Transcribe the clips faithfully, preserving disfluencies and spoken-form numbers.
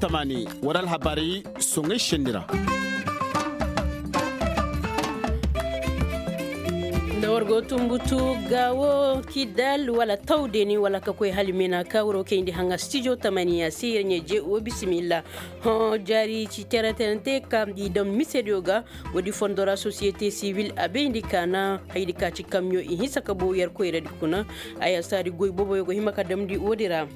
Tamani war alhabaari soŋay senni ra. Nda war go tumbutu gaawo kidal wala tawdeni wala ka koy hala meena ka waro kayndi haŋa stijo tamaniya se yer ɲeje wo bisimilla. Hõ jaari ci tereterante ka i daŋ misediyo ga. Woodi fondo ra sosiyete siwil a bayndi ka na haydi ka ci kamyo i hinsa ka bow yer koyradi kuna. Aya saadi goy boboyo go hima ka damndi woodi ra.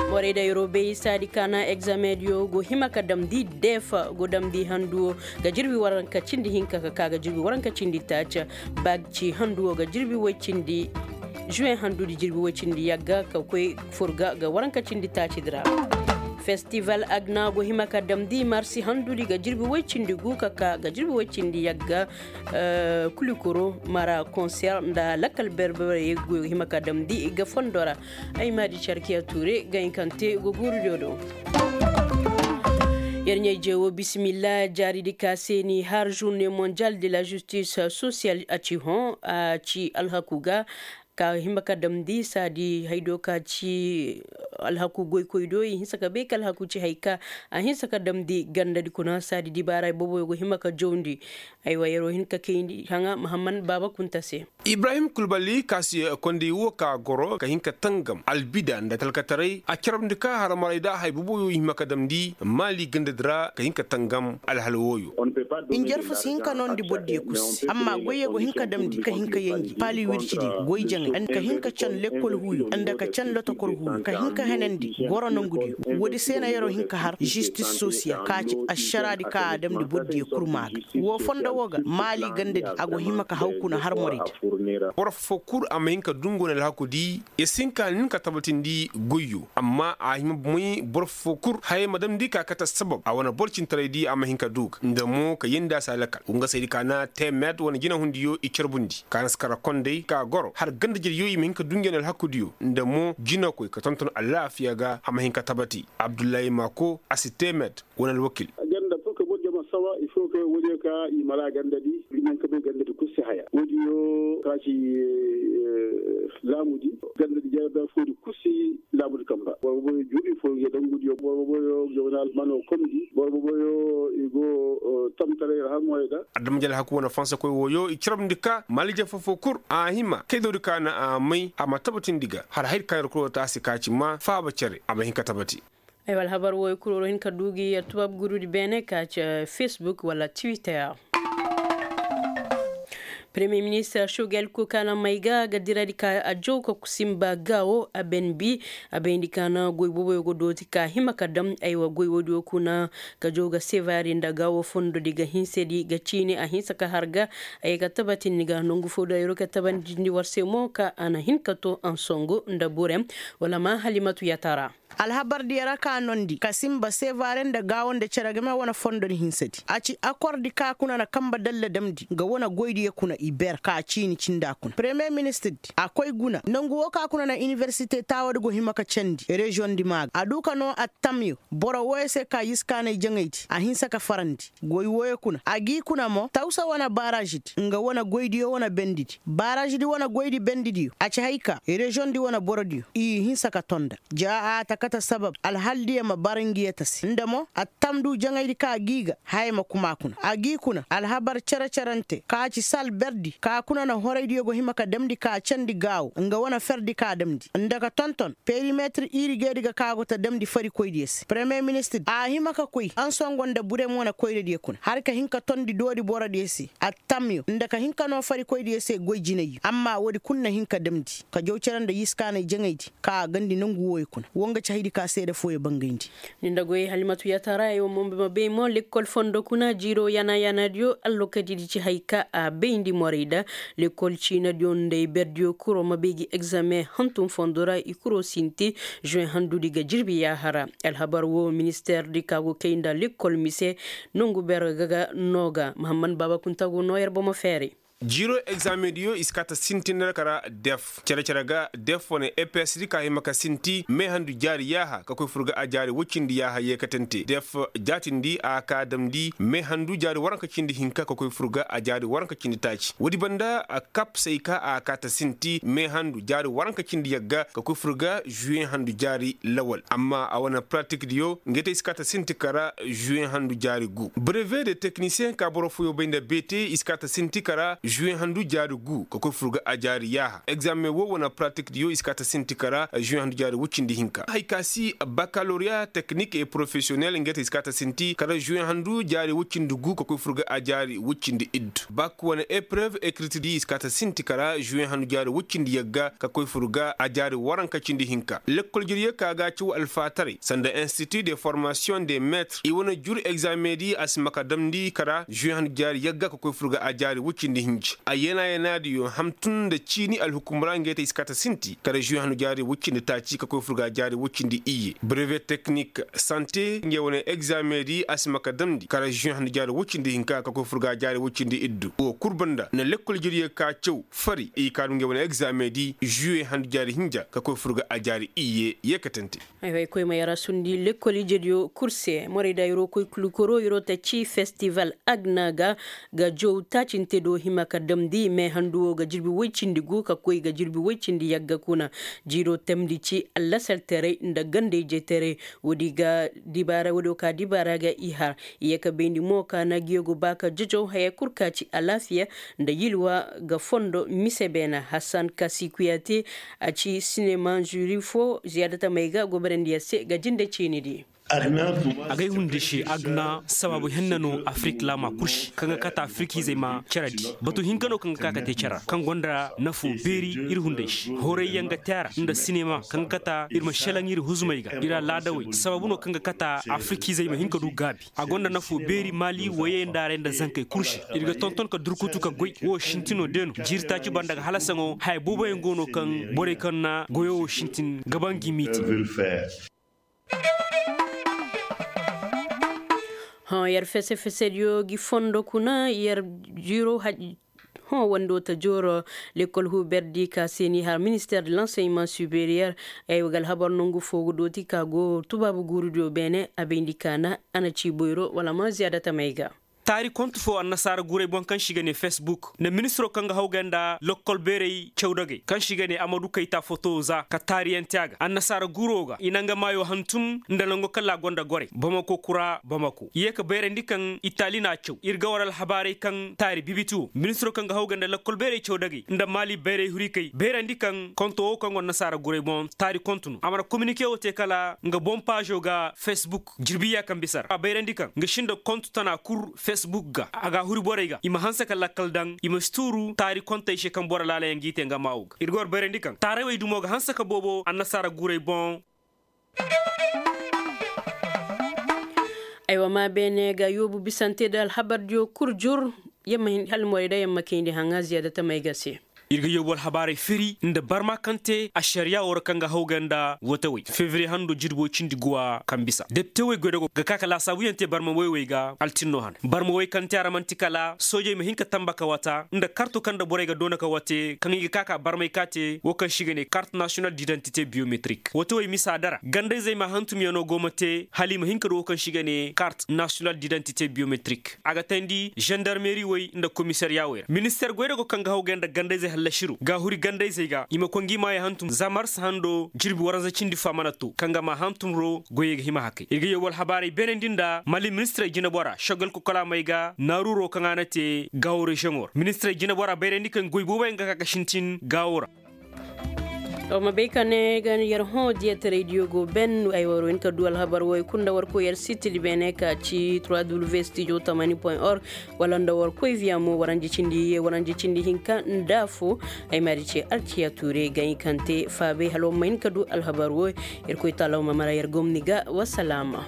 Morey da yeroo bay saadi ka na egzameŋ diyo go hima ka damndi deefa go damndi handuwo ga jirbi waranka cindi hinka ka ka ga jirbi waranka cindi taaca. Baag ci handuwo ga jirbi woy cindi. Juwen handudi jirbi woy cindi yagga ka koy furga ga waranka cindi taacidi ra. Festival agna go hima ka damndi marsi handudi ga jirbi woy cindi gu ka ka ga jirbi woy cindi yagga. Kulikoro mara konser nda lakkal berberey go hima ka damndi ga fondo ra. Ay maadi carkiya tuure ga hin kaŋ te go guuru diyo do. Yer ɲayje wo bisimilla jaaridi ka se ni har journée mondiale de la justice sociale a ci hõ a ci alhaku ga. Ka hima ka damndi saadi haydo ka ci alhaku goykoy do i hinsa ka bay ka alhaku ci hay ka a hinsa ka damndi gandadi kuna saadi dibaara booboyo go hima ka jawndi. Aywa yeroo hin ka kayndi haŋa mahamman baaba kunta se. Ibrahim kulbali ka si kondi wo ka goro ka hin ka tangam albida nda talkataray a carabndi ka haramarayda hay boboyo i hima ka damndi maali gandadi ra ka hin ka tangam alhal wooyo. Injarfu si hin ka noondi bordiyo kusi amma goyyo go hin ka damndi ka hin ka yenji paali wircidi goy jaŋay ka hin ka can lekkol huuyo nda ka can lotokor huuyo ka hin ka henandi goro nongudiyo. Woodi se na yeroo hin ka har žistis sosiyal ka ci ašaraadi ka a damndi bordiyo kul maa ga. Woo fondo woo ga maali gandadi a go hima ka haw kuna har moraydi. Boro foo kul a ma hin ka dungu na alhaku di. Yer si hin ka nin ka tabatindi goyyo amma a hima moy boro foo kul hayey ma damndi ka kate sabab a wane boro cintaraydi a ma hin ka du ga nda mo ka yeendi a se alakal wa nga saydi ka na teemed wane jinahundiyo i carbundi ka na si kara kondey ka goro har ganda-jeryo i ma hin ka dungu na alhakudiyo nda mo jinakoy ka tonton alaafiya ga a ma hin ka tabati. Abdullahi maako a si teemed wane alwakil. Ganda foo ka borjama sawa il foo ka woodiyo ka i mara gandadi. Iri naŋ ka bay gandadi kul si haya woodiyo ka ci laamudi gandadi jere bere foodi kul si laamudi kamba boro boboyo juubi foo ga dangudiyo boro boboyo ga wane almano komdi boro boboyo i go tamtaray ra haŋoyo ga. Adama jala haku wane fansakoy wooyo i carabndi ka maalije foo-foo kul a hima kaydoodi ka na a may a ma tabatindi ga hala haydi ka na yer kul woo taasi ka ci ma faaba cere a ma hin ka tabati. Ay wala habar wooyo kul woo hin ka duu gi yer tubaab gurudi beene ka ci facebook wala twitter. Premier ministre shogel ko ka na may ga ga diradi ka a jaw ka kusimba gaawo a ben bi a bayndi ka na goy booboyo go dooti ka hima ka dam aywa goy woodiyo kuna ka jaw ga sevare nda gaawo fondodi ga hinsedi ga ciini a hinsa ka har ga. Ay ga tabatindi ga nongu foo da yeroo ka tabatindi war se mo ka a na hin ka too ansongo nda burem wala ma halimatu yatara. Alhabardiyo ra ka noondi ka simba sevare nda gaawo nda cere game wane fondodi hinsedi a ci akordi ka kuna na kamba dalla damndi nga wane goydiyo kuna i ber ka ciini cinda kuna premier ministirdi a koy guna nongu woo ka kuna na iniversite taawadi go hima ka candi reziyoŋdi maa ga a duu ka noo attamyo boro wooyo se ka yiskaanay jaŋaydi a hinsa ka farandi. Goy wooyo kuna a g'i kuna mo tawsa wane barazidi nga wane goydiyo wane bendidi barazidi wane goydi bendidiyo a ci hay ka reziyoŋdi wane borodiyo i hinsa ka tonda. Ja a ta kate sabab alhaldiyo ma bara ngi yeta se nda mo attam du jaŋaydi ka g'i ga haya ma kuma kuna a g'i kuna alhabar cere-cerante ka ci sal berdi ka kuna na horaydiyo go hima ka damndi ka candi gaawo nga wane ferdi ka damndi nda ka tonton perimetir irigeedi ga ka go ta damndi farikoydiyo se premier ministir a hima ka koy ansongo nda burem wane koyradiyo kuna har ka hin ka tondi doori borodiyo se attamyo nda ka hin ka noo farikoydiyo se goy jinayyo amma woodi kul na hin ka damndi ka jaw cere nda yiskaanay jaŋaydi ka a gandi nongu wooyo kuna woo nga ci haydi ka seede fooyo bangayndi. Ni nda goy halimatu yatara ay wo mo ma bay mo lekkol fondo kuna jiiroo yana-yanadiyo allokadidi ci hay ka a bayndi morayda lekkol ciinadiyo nda i berdiyo kuroo ma bay gi egzameŋ hantum fondo ra i kuroo sinti juweŋ handudi ga jirbi yaahara. Alhabar woo ministeerdi ka go kay nda lekkol mise nongu ber ga ga noo ga mahamman baaba kunta go noo yer bomo feeri. Jiiro egzaameŋ diyo i si kaa ta sintin ra kara def cere-cere ga def wane eps di ka hima ka sinti meehandu jaari yaaha ka koy fur ga a jaari woy cindi yaaha yeekatante def jaatindi a kaa damndi meehandu jaari waranka cindi hinka ka koy fur ga a jaari waranka cindi taaci woodi banda kap se i kaa a kaa ta sinti meehandu jaari waranka cindi yagga ka koy fur ga žuweŋ handu jaari lawal amma a wane pratik diyo ngey te i si kaa ta sinti kara žuweŋ handu jaari gu breve de teknisiyeŋ ka boro fooyoo bay nda beete i si kaa ta sinti kara žuweŋ handu jaari gu ka koy fur ga a jaari yaaha egzaameŋ woo wane pratik diyo i si kaa ta sinti kara žuweŋ handu jaari woy cindi hinka hari ka si bakaloriya teknik et porofesiyonel ngey te i si kaa ta sinti kara žuweŋ handu jaari woy cindi gu ka koy fur ga a jaari woy cindi iddu bak wane eprev ekritidi i si kaa ta sinti kara žuweŋ handu jaari woy cindi yagga ka koy fur ga a jaari waranka cindi hinka lekkol jiryo ka ga a caw alfaataray sanda institu de formasiyoŋ de meetir i wane jur egzaameŋ di a si ma ka damndi kara žuweŋ handu jaari yagga ka koy fur ga a jaari woy cindi hinji a yana-yana diyo ham tun nda ciini alhukum ra ngey te i si kaa ta sinti kara žuweŋ handu jaari woy cindi taaci ka koy fur ga a jaari woy cindi iyye breve teknik sante ngey wane egzaameŋ di a si ma ka damndi kara žuweŋ handu jaari woy cindi hinka ka koy fur ga a jaari woy cindi iddu woo kul banda nda lekkol jiryo ka caw fari i kaa du ngey wane egzaameŋ di žuweŋ handu jaari hinja ka koy fur ga a jaari iyye yeekatante. Ay way koy ma yar a sundi lekkol ijediyo kul se morey da yeroo koy kulu koroo yeroo ta ci festival agna ga ga jow taacinte do hima ka damndi meehandu woo ga jirbi woy cindi gu ka koy ga jirbi woy cindi yagga kuna jiiroo tamndi ci allasaltaray nda ganda-ijetaray woodi ga dibaara woodi woo ka dibaara ga i har i yee ka bayndi mo ka na ngiyo go ba ka jojow haya kul ka ci alaafiya nda yilwa ga fondo mise beena hasan kasi kuyate a ci sinema žuri foo ziyaada tamey ga goborandi yer se ga jinde ciinidi. Agay hundi se agna sabaabu henna no afirik laama kul se kaŋ ga kate afirikiizey ma cere di batu hinka no kaŋ ga ka ka te cere ra kaŋ gonda nafoo beeri ir hunday se horayyaŋ ga te a ra nda sinema kaŋ ga kate ir ma šelaŋ ir huzumey ga ir alaadawey sabaabu no kaŋ ga kate afirikiizey ma hin ka du gaabi a gonda nafoo beeri maali woyey nda aray nda zankey kul se ir ga tonton ka durkutu ka goy woo sintinoo de no jiiri taaci banda ga halasaŋo haya booboyaŋ go no kaŋ borey kaŋ na goyoo woo sintin ga ba ngi miiti. Hõ yer fese-fesediyo gi fondo kuna yer jiiro hõ wando ta jooro lekkol huuberdi ka se ni har minister de lanseyman superiyer. Ay wa ga alhabar nongu foo ga dooti ka go tubaabu guurudiyo beene a bayndi ka na a na ci boyro wala ma ziyaada tamey ga. Taari kontu foo annasaara guuray boŋ kaŋ se i ga ne fesbuk nda ministiroo kaŋ ga hawgay nda lokkol beeray cawdagey kaŋ se i ga ne amadu kayta fotowo za ka taariyaŋ te a ga annasaara guuroo ga i na nga maayoo hantum nda nango kala a gonda gorey bamako kura bamako i yee ka bayrandi kaŋ itali n'a caw ir ga war alhabaaray kaŋ taari bibiti woo ministiroo kaŋ ga hawgay nda lokkol beeray cawdagey nda maali bayray hurikey bayrandi kaŋ konto woo kaŋ go annasaara guuray boŋ taari kontu no a mana kominike woo te kala nga boŋ paazo ga fesbuk jirbi iyya kaŋ bisa ra a bayrandi kaŋ nga sinda kontu tana kul fesbuk ga a ga a huri borey ga i ma hanse ka lakkal daŋ i ma si tuuru taari kontey se kaŋ boro laalayaŋ g'i te nga maa woo ga ir ga war bayrandi kaŋ taarawey dumo ga hanse ka boobo annasaara guuray boŋ. Aywa maa beene ga yoobu bisante nda alhabardiyo kul jur. Hala morey da yamma kayndi haŋa ziyaada tamey ga se. Ir ga yoobu alhabaarey firi nda barma kaŋ te ašariyaa woo ra kaŋ ga hawgay nda wotawey fevriye hando jirbi woy cindi guwa kaŋ bisa depitewey goydago ga ka ka laasaabuyaŋ te barma woy wey ga altinno hane barma woy kaŋ te a ra man'ti kala soojey ma hin ka tamba ka wata nda karto kaŋ nda borey ga doona ka wate kaŋ i ga ka ka barmay ka te woo kaŋ se i ga ne kart nasiyonal didantite biyometrik wotawey misa dara gandayzey ma hantumyaŋo go ma te hala i ma hin ka du woo kaŋ se i ga ne kart nasiyonal didantite biyometrik a ga tayndi zandarmeri wey nda komisariya wey ra minister goydago kaŋ ga hawgay nda gandayzey hallasiro ga a huri gandayzey ga i ma koy ngi maayo hantum za mars hando jirbi waranza cindi fo a mana to kaŋ ga ma hantum ro goyey ga hima hakay ir ga yee wala habaarey beenandi nda mali ministirey jinebora sogal kokolaamey ga naaruuro kaŋ a na te gaawo reziyoŋo ra ministirey jinebora bayrandi kaŋ goy booboyaŋ ga ka ga sintin gaawo ra. Wa ma bay ka ne ga yer hõ diyataraydiyo go ben ay war hin ka du alhabar wo ay kulu nda war koy yer sitidi beene ka ci trois w studio tamani point org. Wala nda war koy viya mo waranje cindi ye waranje cindi hinka nda fo. Ay ma di ce alciya tuure ga hin kaŋ te faabay hala war ma hin ka du alhabar wo. Yer koy taala war ma mara yer gomni ga wasalaama.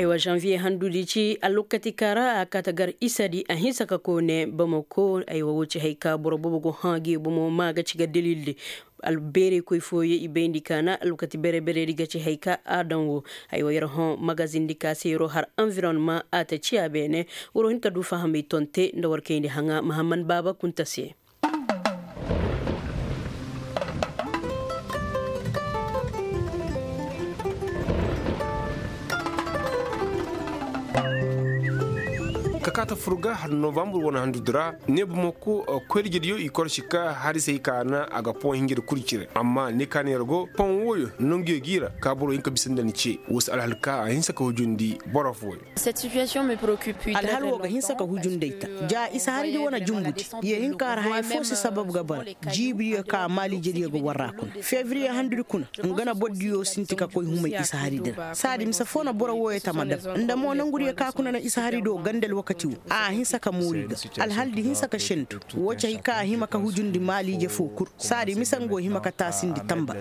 Wa zanviye handudi ci alwakati ka ra a kaata gar isadi a hinsa ka koone bamako. Ay wa wo ci hay ka boro boobo go hã gi bomo ma ga ci ga dilildi. Albeerey koy fooyo i bayndi ka na alwakati bere-beredi ga ci hay ka a daŋ wo. Ay wa yer hõ magazindi ka se yer'o har anvironma a ta ciya beene. War'o hin ka du fahamey tonte nda war kayndi haŋa mahamman baaba kunta se. Ka kaata fur ga har novambur wane handudi ra ne bamako koyrijediyo i korsi ka hari se i ka na a ga pon hinjedi kul cire amma ne ka ne yer go pon wooyo nanguyo g'i ra ka boro hin ka bisa nda ni ce. Wo si alhal ka a hinsa ka hujundi boro fooyo. Alhal wo ga hinsa ka hujundi ay ta ja isa haridi wane jumbuti. Ye hin ka har haya foo se sabab ga bara jiibidiyo ka maaliijediyo ga war ra kuna fevriye handudi kuna. Nga na bordiyo sinti ka koy humay isa haridi ra saadi mise foo na boro wooyo tama dab. Nda mo nangudiyo ka kuna na isa harido ganda alwakati wo a hinsa ka moori ga. Alhaldi hinsa ka sentu wo ci hay ka a hima ka hujundi maaliije foo kul. Saadi mise nga wo hima ka taasindi tamba.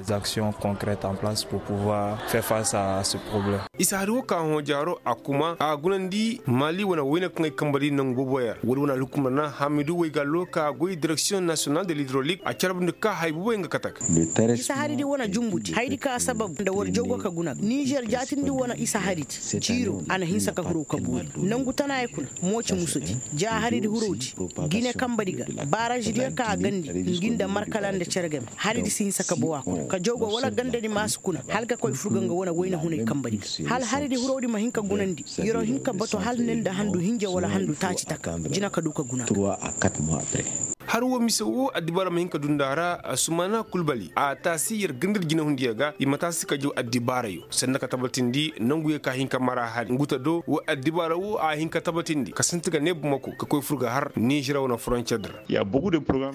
Isa hari wo ka hõ jaaro a kuma a gunandi maali wane wayne kaŋ ay kamba di nangu boobo yaŋ ra woodi wane alhukumra na hamidu waygallo ka goy direksiyoŋ nasiyonal de lidrolik a carbundi ka hay boobo yaŋ ga kate ga. Isa haridi wane jumbuti haydi ka sabab nda war jogo ka guna ga nizer jaatindi wane isa haridi jiiro a na hinsa ka hiro ka boori nangu tana ya kuna. Mo ci musudi ja haridi hurodi gine kambadi ga baarazidiyo ka a gandi ngi nda markala nda cere game. Haridi si hinsa ka bawa kuna ka jawgo wala gandadi ma si kuna hala ka koy furga nga wane wayna hunay kambadi ga hala haridi hurodi ma hin ka gunandi. Yer'o hin ka bato hala ne nda handu hinja wala handu taaci taka jina ka du ka guna. Hari wo mise wo addibaara ma hin ka dunda ra sumana kulbali a taasi yer gandadi jinahundiyo ga i ma taasi ka jaw addibaarayo sanda ka tabatindi nanguyo ka hin ka mara hari nguta do wo addibaara wo a hin ka tabatindi ka sinti ga ne bumako ka koy fur ga har nizer wane frontiyer di ra.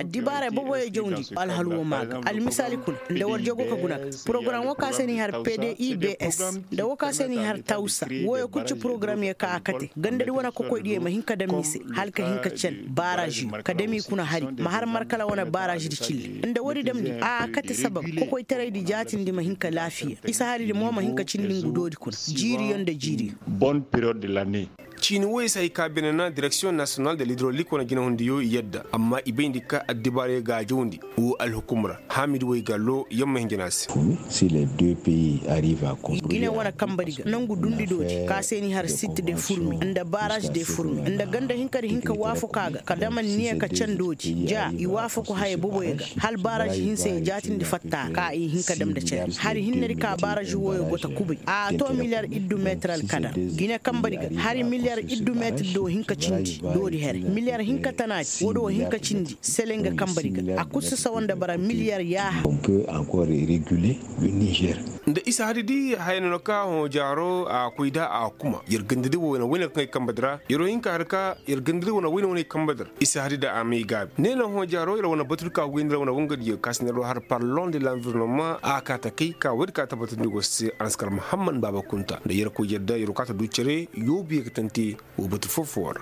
Addibaarey boboyo jawndi alhal wo maa ga almisaali kuna nda war jago ka guna ga porogaram wo ka se n'i har pdibs nda wo ka se n'i har tawsa. Wooyo kul ci porogaramyo ka a kate gandadi wane kokoydiyo ma hin ka daŋ mise hala ka hin ka can baaraziyo ka dam i kuna hari ma har markala wane baarazi di cilli nda woodi damndi a kate sabab kokoytaraydi jaatindi ma hin ka laafiya isa haridi mo ma hin ka cindi ngu doodi kuna jiiriyo nda jiiriyo. Ciini woy se hay ka beene na direksiyoŋ nasiyonal de lidrolik wane jinahundiyo yadda amma i bayndi ka addibaarayo ga a jawndi wo alhukum ra haamidi woy gallo yamma hinjina se. Gine wane kambadi ga nangu dundi doodi ka se ni har sit de furmi nda baraz de furmi nda ganda hinkadi hinka waafaka ga ka daman niya ka can doodi ja i waafaku haya boboyo ga hal baraz hinse ya jaatindi fatta ka i hinka dam nda care hari hinnedi ka baraz woyo go ta kubay a to miliyar iddu meetar alkadar gine kambadi ga hari miliyar iddu meetar do hinka cindi doodi here miliyar hinka tanaadi woodi wo hinka cindi sele nga kambadi ga a kul si sawa nda bara miliyar yaaha. Nda isa hari di haya no na ka hõ jaaro a koy da a kuma yer gandadi wo na wayne kaŋ ay kambadi ra yer wo hinka hari ka yer gandadi wo na wayne wayne ay kambadi ra isa hari da a may gaabi ne na hõ jaaro yer wane batu di ka goy nda yer wane wangadiyo ka si ne yer wo har parlon de l'environnement a ka ta kay ka woodi ka tabbatandi go se a na si kar muhammad baaba kunta nda yer koy yadda yer wo ka ta du cere yoobu ye ga tante wo batu foo-foo ra.